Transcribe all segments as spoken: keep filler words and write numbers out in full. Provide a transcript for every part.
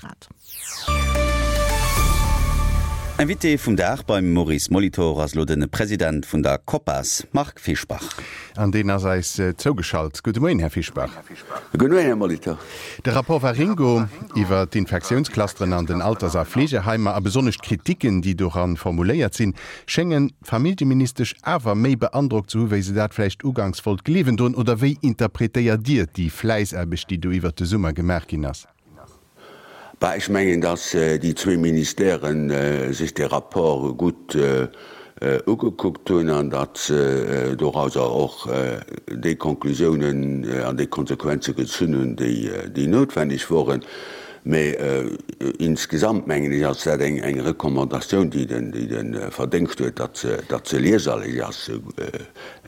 Grad. Invité vum Dag beim Maurice Molitor ass elo de President vun der COPAS, Marc Fischbach. An deen ass eis zougeschalt. Gudde Moien, Här Fischbach. Gudde Moien, Här Molitor. De Rapport Waringo iwwer d'Infektiounsclusteren an den Alters a Fleegeheimer a besonnesch d'Kritiken, déi doran formuléiert sinn, schéngen d'Familljeministesch awer méi beandrockt ze hu wéi se dat vläicht uganks wollt gleewen doen. Oder wéi interpretéiert Dir déi Fläissaarbecht, déi do iwwert de Summer gemaach ginn ass? Bah, ech mengen, datt déi zwee Ministèren sech dee Rapport gutt ugekuckt hunn an datt se dorauser och déi Konklusiounen an déi Konsequenze gezunn hunn, déi noutwenneg woren. Mä insgesamt, mengen ech, ass dat eng Recommandatioun, déi de Verdéngscht huet, datt se lieserlech ass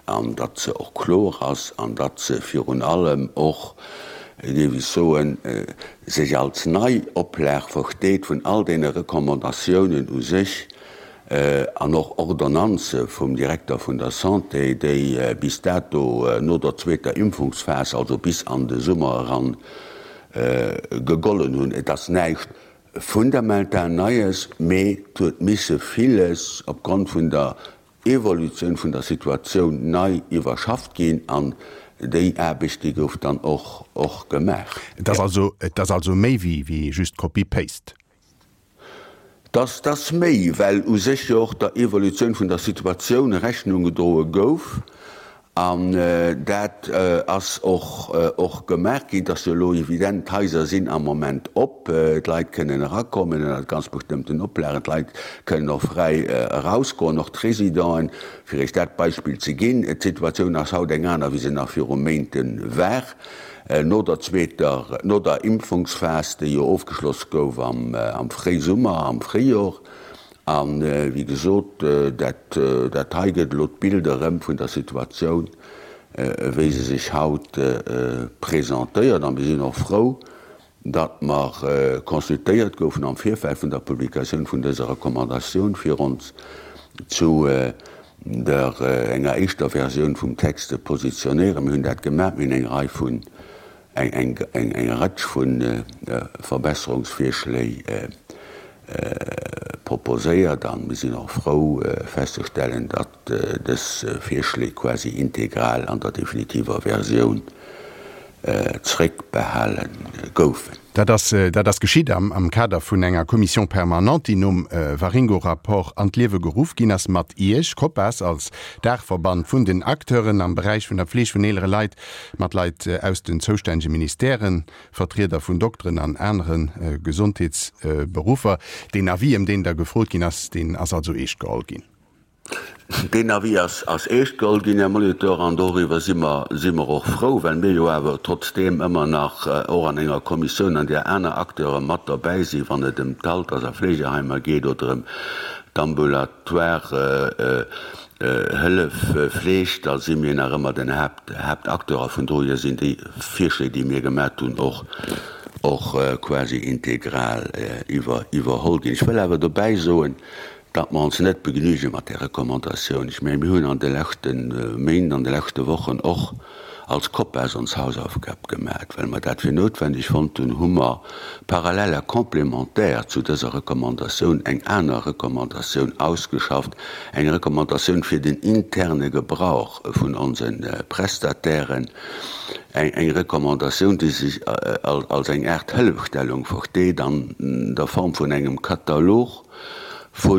an datt se och kloer ass an datt se virun allem och, géif ech soen, sech als nei Oplag versteet vun all deene Recommandatiounen u sech an och Ordonnanze vum Direkter vun der Santé, déi bis dato no der zweeter Impfungsphas, also bis an de Summer eran, gegollen hunn. Et ass näischt fundamental Neies, mee et huet misse villes opgrond vun der Evolutioun vun der Situatioun nei iwwerschafft ginn an déi Aarbecht, déi gouf dann och och gemaach. Et ass also, et ass also méi wéi wéi just Copy-Paste. Et ass, et ass méi, well u sech jo och der Evolutioun vun der Situatioun Rechnung gedroe gouf. An dat ass och och gemaach ginn. Et ass jo elo evident, d'Haiser sinn am Moment op, d'Leit kënnen erakommen ënner ganz bestëmmten Oplagen, d'Leit kënnen och fräi erausgoen, och d'Residenten, fir Iech dat Beispill ze ginn. D'Situatioun ass haut eng aner, wéi se nach viru Méinte war, no der zweeter, no der Impfungsphas, déi jo ofgeschloss gouf am am Fréisummer, am Fréijor. A wéi gesot, dat dat hei gëtt elo d'Bild erëm vun der Situatioun, wéi se sech haut presentéiert. A mir sinn och frou, datt mer consultéiert goufen am Virfeld vun der Publikatioun vun dëser Recommandatioun, fir ons zu der enger éischter Versioun vum Text ze positionéieren. Mir hunn dat gemaach. Mir hunn eng Rei vun, eng eng Rëtsch vu Verbesserungsvirschléi proposéiert a mir sinn och frou festzestellen, datt dës Virschléi quasi integral an der definitiver Versioun zréckbehale goufen. Dat ass, dat ass geschitt am, am Kader vun enger Commission permanente, déi nom Waringo-Rapport an d'Liewe geruff ginn ass, mat Iech, COPAS, als Daachverband vun den Acteuren am Beräich vun der Pfleg vun eelere Leit, mat Leit aus den zoustännege Ministèren, Vertrieder vun Dokteren an anere Gesondheetsberuffer. Deen Avis, ëm deen da gefrot ginn ass, deen ass also eescht geholl ginn. Deen Avis ass, ass eescht geholl ginn, Här Molitor, an doriwwer si mer, si mer och frou, well mir jo awer trotzdeem ëmmer nach och an enger Kommissioun, an där aner Acteure mat derbäi sinn, wann et ëm d'Alters a Fleegeheimer geet oder ëm d'ambulatoire Hëllef, Fleeg, da si mir nach ëmmer den Haaptacteur a vun dohier sinn déi Virschléi, déi mir gemat hunn, och och quasi integral iwwerholl ginn. Ech wëll awer dobäi soen, datt mer ons net begnüge mat där Recommandatioun. Ech mengen, mir hunn an de leschte Méint, an de leschte Wochen och als COPAS ons Hausaufgab gemat. Well mer dat fir noutwendeg fonnt hunn, hu mer parallel a complémentaire zu dëser Recommandatioun eng aner Recommandatioun ausgeschafft, eng Recommandatioun fir den interne Gebrauch vun onse Prestatairen, eng Recommandatioun, déi sech als eng Aart Hëllefstellung versteet an der Form vun engem Katalog vu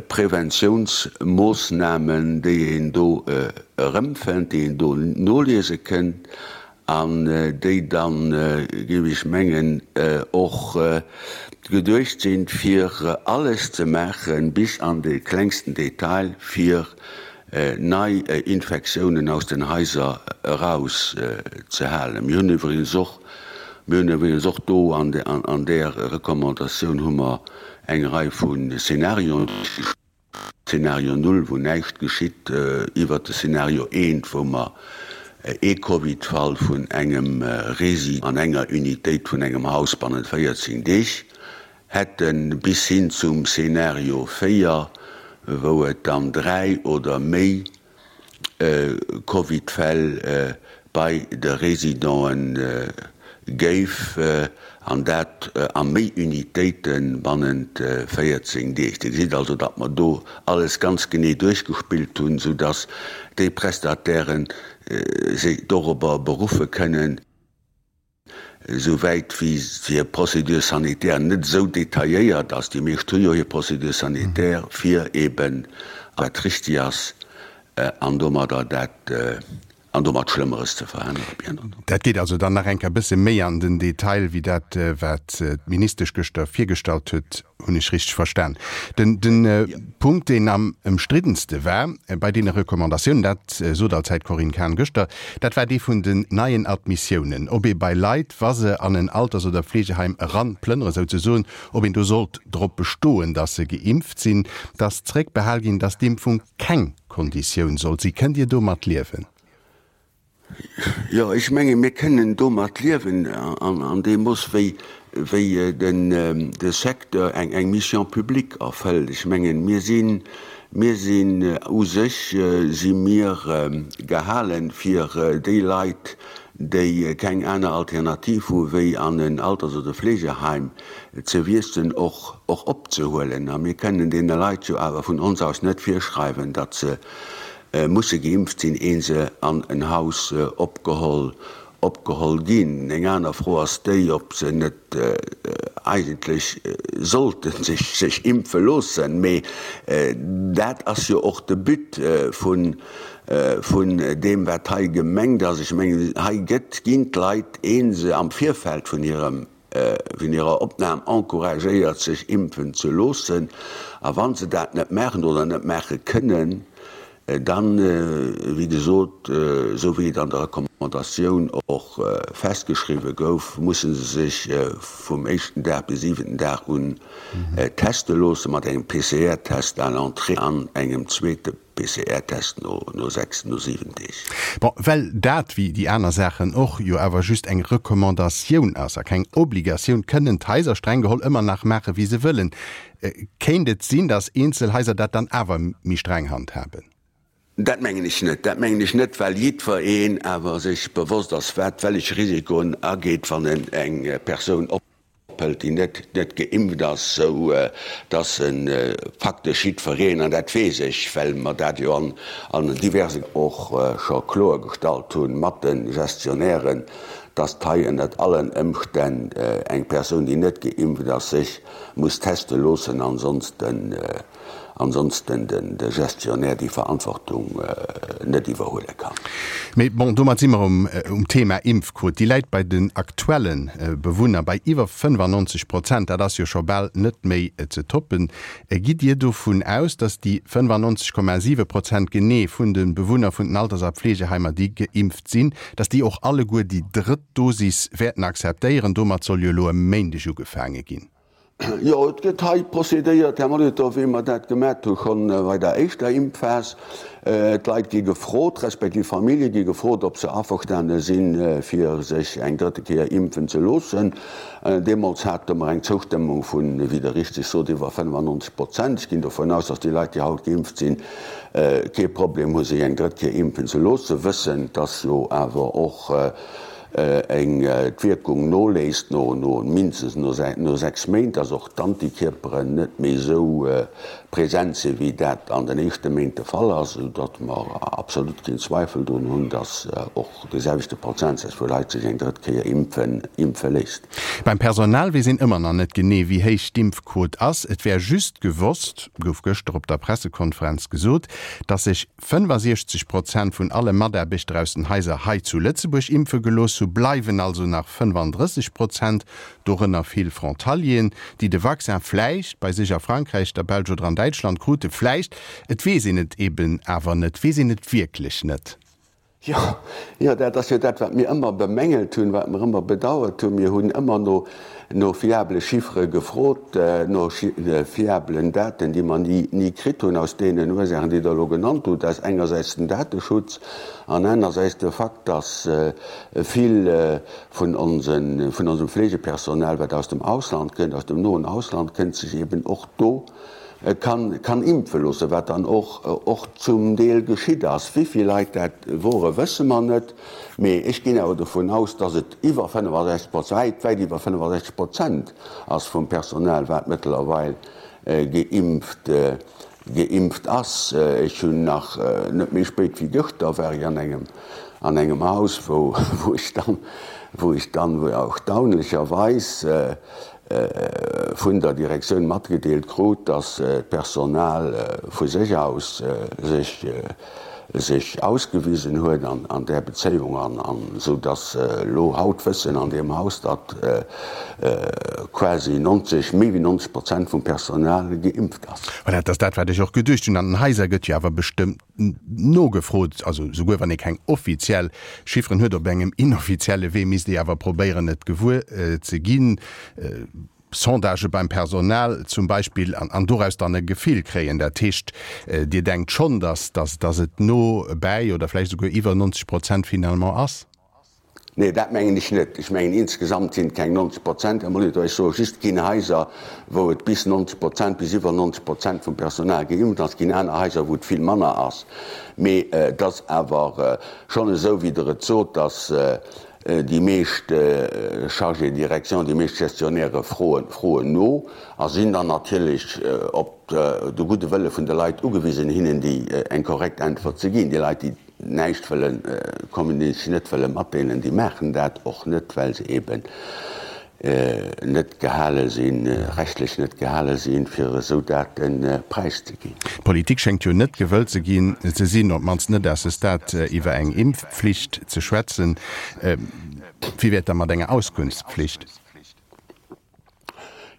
Preventiounsmoossnamen, déi een do erëmfënnt, déi een do noliese kënnt an déi dann, géif ech mengen, och geduecht sinn, fir alles ze maachen, bis an de klengsten Detail, fir nei Infektiounen aus den Haiser erauszehalen. Mir hunn iwwregens och, mir hunn iwwregens och do an där Recommandatioun hu mer eng Rei vu Szenarioen, Szenario null, wou näischt geschitt, iwwert de Szenario eent, wou mer ee Covid-Fall vun engem Resi an enger Unitéit vun engem Haus bannent véierzéng Deeg hätten, bis hin zum Szenario véier, wou et dann dräi oder méi Covid-Fäll bei de Residenten géif an dat a méi Unitéite bannent véierzéng Deeg. Dir gesitt also, datt mer do alles ganz genee duerchgespillt hunn, soudatt déi Prestatairen sech dorobber beruffe kënnen, souwäit wéi hir Procédure sanitaire net esou detailléiert ass, déi meescht hu jo hir Procédure sanitaire, fir eeben, wat richtig ass, an domadder dat, an domat Schlëmmeres ze verhënnere, bien entendu. Dat geet also dann nach eng Kéier e bësse méi an den Detail wéi dat, wat d'Ministesch gëschter virgestallt huet. Hunn ech richteg verstan? Den Punkt, deen am ëmstriddenste war bei deene Recommandatiounen, dat sot allzäit d'Corinne Cahen gëschter, dat war dee vun den neien Admissiounen. Ob ee bei Leit, wa se an en Alters oder Fleegeheim eranplënnere souzesoen, ob een do sollt drop bestoen, datt se geimpft sinn, datt zréckbehal ginn, datt d'Impfung keng Konditioun sollt sinn. Kënnt Dir domat liewen? Jo, ech menge mir kënnen domat liewen an deem Mooss, wéi de Secteur eng Mission publique erfëllt. Ech mengen, mir sinn, mir sinn u sech si mir gehalen, fir déi Leit, déi keng aner Alternativ hu wéi an en Alters oder Fleegeheim ze wiesselen, och opzehuelen. A mir kënnen deene Leit jo awer vun ons aus net virschreiwen, datt se musse geimpft sinn, een se an en Haus opgeholl opgeholl ginn. Eng aner Fro ass déi, ob se net eigentlech sollte sech sech impfe loossen. Mee dat ass jo och de But vun vun deem, wat hei gemengt ass. Ech mengen, hei gëtt, ginn d'Leit, een se am Virfeld vun hirem vun hirer Opnam encouragéiert, sech impfen ze loossen. A wa se dat net maachen oder net maache kënnen, dann, wéi gesot, esou wéi et an der Recommandatioun och festgeschriwwe gouf, musse se sech vum éischten Dag bis siwenten Dag un teste loosse mat engem P C R-Test à l'entrée an engem zweete P C R-Test no sechs, no siwen Deeg. Bon, well dat, wéi déi aner Saachen och, jo awer just eng Recommandatioun ass a keng Obligatioun, kënnen d'Haiser streng geholl ëmmer nach maache wéi se wëllen. Kéint et sinn, datt eenzel Haiser dat dann awer méi streng handhaben? Dat mengen ech net. Dat mengen ech net, well jiddwereen awer sech bewosst ass, wat wellech Risikoen ageet, wann en eng Persoun ophëlt, déi net net geimpft ass, sou dass e faktesch jiddwereen, an dat weess ech, well mer dat jo an an diverse och scho kloergestallt hunn mat de Gestionnairen, dass hei ënnert allen Ëmstänn eng Persoun, déi net geimpft ass, sech muss teste loossen, ansonsten ansonsten de Gestionnaire déi Verantwortung net iwwerhuele kann. Mee bon, domat si mer um um Thema Impfquot. Déi läit bei den aktuelle Bewunner bei iwwer fënnefannonzeg Prozent. Dat ass jo scho bal net méi ze toppen. Gitt Dir dovun aus, datt déi fënnefannonzeg Komma siwe Prozent genee vun de Bewunner vun den Alters a Pflegeheimer, déi geimpft sinn, datt déi och alleguer déi drëtt Dosis wäerten akzeptéieren? Domat soll jo elo e Méindeg ugefaange ginn. Jo, et gëtt hei procédéiert, Här Molitor, wéi mer dat gemat hu schonn bei der éischter Impfphas. D'Leit gi gefrot, respektiv d'Famillje gi gefrot, ob se averstane sinn, fir sech eng drëtte Kéier impfen ze loossen. Deemools hate mer eng Zoustëmmung vun, wéi Der richteg sot, iwwer fënnefannonzeg Prozent. Ech ginn dovun aus, dass déi Leit, déi haut geimpft sinn, kee Problem hu sech eng drëtt Kéier impfen ze loossen, wëssend, dass jo awer och eng d'Wierkung noléisst no no mindestens no no sechs Méint, dass och d'Antikierperen net méi esou present sinn, wéi dat an den éischte Méint de Fall ass, esou datt mer absolut keen Zweifel drun hunn, dass och dee selwechte Prozentsaz vu Leit sech eng drëtt Kéier impfen impfe léisst. Beim Personal weess een ëmmer nach net genee, wéi héich d'Impfquot ass. Et wär just gewosst, gouf gëschter op der Pressekonferenz gesot, datt sech fënnefasiechzeg Prozent vun alle Mataarbechter aus den Haiser hei zu Lëtzebuerg impfe gelooss hu, bleiwen also nach fënnefandrësseg Prozent, dorënner vill Frontalieren, déi de Vaccin vläicht bei sech a Frankräich, der Belsch oder an Däitschland krute. Vläicht, et weess een et eben awer net, weess een et wierklech net. Jo, jo, dat ass jo dat, wat mir ëmmer bemängelt hunn, wat mer ëmmer bedauert hunn. Mir hunn ëmmer no, no fiabele Chiffere gefrot, no fiabelen Daten, déi mer ni, ni kritt hunn, aus deenen Ursaachen, déi Der elo genannt hutt, aus engersäits den Dateschutz an anersäits de Fakt, dass vill vun onsen, vun onsem Fleegepersonal, wat aus dem Ausland kënnt, aus dem noen Ausland kënnt, sech eben och do kann, kann impfe loossen, wat dann och, och zum Deel geschitt ass. Wéi vill Leit dat wore wësse mer net, mee ech ginn awer dovun aus, datt et iwwer fënnefasechzeg Prozent, wäit, wäit iwwer fënnefasechzeg Prozent ass vum Personal, wat mëttlerweil geimpft, geimpft ass. Ech hunn nach net méi spéit wéi gëschter war ech an engem, an engem Haus, wou, wou ech dann, wou ech dann erstaunlecherweis vun der Direktioun matgedeelt krut, dass d'Personal vu sech aus sech sech ausgewisen huet an där Bezéiung an esou dass elo haut wëssen an deem Haus, datt quasi neunzeg, méi wéi neunzeg Prozent vum Personal geimpft ass. Voilà, dat ass dat, wat ech och geduecht hunn. An den Haiser gëtt jo awer bestëmmt nogefrot, also souguer wann ee keng offiziell Chifferen huet, op engem inoffizielle Wee misst ee awer probéieren et gewuer ze ginn, Sondagë beim Personal zum Beispill, an doraus dann e Gefill kréien. Dat heescht, Dir denkt schonn, datt datt et no bäi oder vläicht esouguer iwwer neunzeg Prozent finalement ass? Nee, dat mengen ech net. Ech mengen, insgesamt sinn et keng neunzeg Prozent, Här Molitor. Ech soe just, et ginn Haiser, wou et bis neunzeg Prozent, bis iwwer neunzeg Prozent vum Personal geimpft ass. Et ginn aner Haiser, wou et vill manner ass. Mee et ass awer schonn esou, wéi Der et sot, dass déi meescht Chargés de direction, déi meescht Gestionnairë froen, froen no a sinn dann natierlech op de gudde Wëlle vun de Leit ugewisen, hinnen déi eng korrekt Äntwert ze ginn. Déi Leit, déi näischt wëlle kommunizieren, net wëlle matdeelen, déi maachen dat och net, well se eben net gehale sinn, rechtlech net gehale sinn, fir esou Date präiszeginn. D'Politik schéngt jo net gewëllt ze ginn, ze sinn, op d'mannst net à ce stade, iwwer eng Impfflicht ze schwätzen. Wéi wär et da mat enger Auskunftspflicht?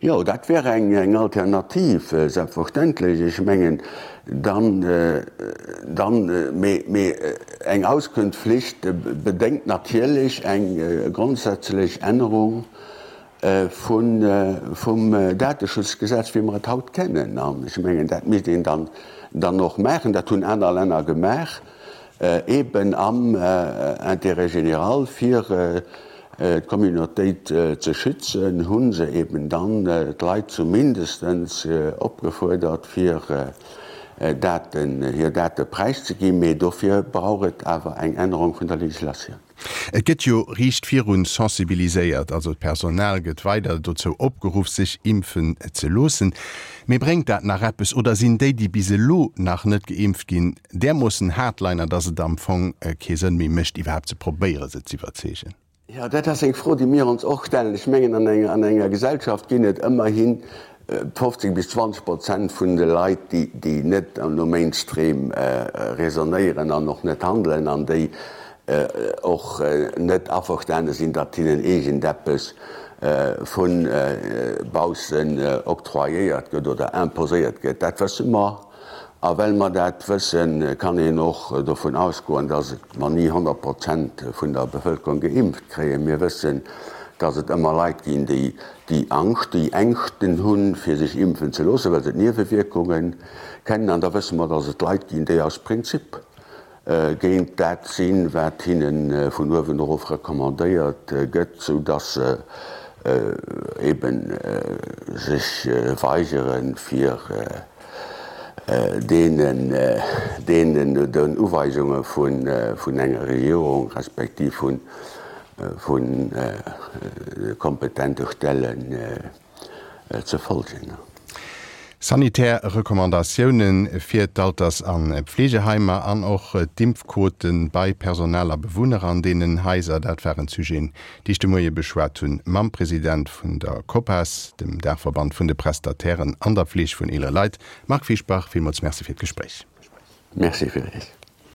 Jo, dat wär eng Alternativ, selbstverständlech. Ech mengen, dann, dann, mee, mee eng Auskunftspflicht bedéngt natierlech eng grondsätzlech Ännerung vun, vum Dateschutzgesetz, wéi mer et haut kennen. An ech mengen, dat misst een dann, dann och maachen. Dat hunn aner Länner gemaach, eeben am Intérêt général, fir d'Communautéit ze schützen, hu se eben dann d'Leit zumindestens opgefuerdert, fir Daten, hir Date präiszeginn. Mee dofir brauch et awer eng Ännerung vun der Legislatioun. Et gëtt jo riicht virun sensibiliséiert, also d'Personal gëtt weider dozou opgeruff, sech impfen ze loossen. Mee bréngt dat nach eppes oder sinn déi, déi bis elo nach net geimpft ginn, därmoossen Hardliner, dass et am Fong kee Sënn méi mécht, iwwerhaapt ze probéiere se z'iwwerzeegen? Jo, dat ass eng Fro, déi mir ons och stellen. Ech mengen, an enger, an enger Gesellschaft ginn et ëmmerhi fofzéng bis zwanzeg Prozent vun de Leit, déi, déi net no Mainstream raisonnéieren an och net handelen an déi och net averstane sinn, datt hinnen iergendeppes vu baussen octroyéiert gëtt oder imposéiert gëtt. Dat wësse mer. A well mer dat wëssen, kann een och dovun ausgoen, datt mer ni honnert Prozent vun der Bevëlkerung geimpft kréien. Mir wëssen, datt et ëmmer Leit ginn, déi déi Angscht, déi Ängschten hunn, fir sech impfen ze loossen, well se d'Niewewierkunge kennen. An da wësse mer, datt et Leit ginn, déi aus Prinzip géint dat sinn, wat hinne vun uewen erof recommandéiert gëtt, soudatt se eeben sech weigeren, fir deenen, deenen den Uweisunge vun, vun enger Regierung respektiv vun, vun kompetente Stellen ze folgen. Sanitär Recommandatioune fir d'Alters a Pfleegeheimer an och d'Impfquote bei Personal a Bewunner an deenen Haiser, dat waren d'Sujeten, déi ech de Moie beschwat hunn mam President vun der COPAS, dem Daachverband vun de Prestatairen an der Fleeg vun eelere Leit. Marc Fischbach, villmools Merci fir d'Gespréich. Merci fir Iech.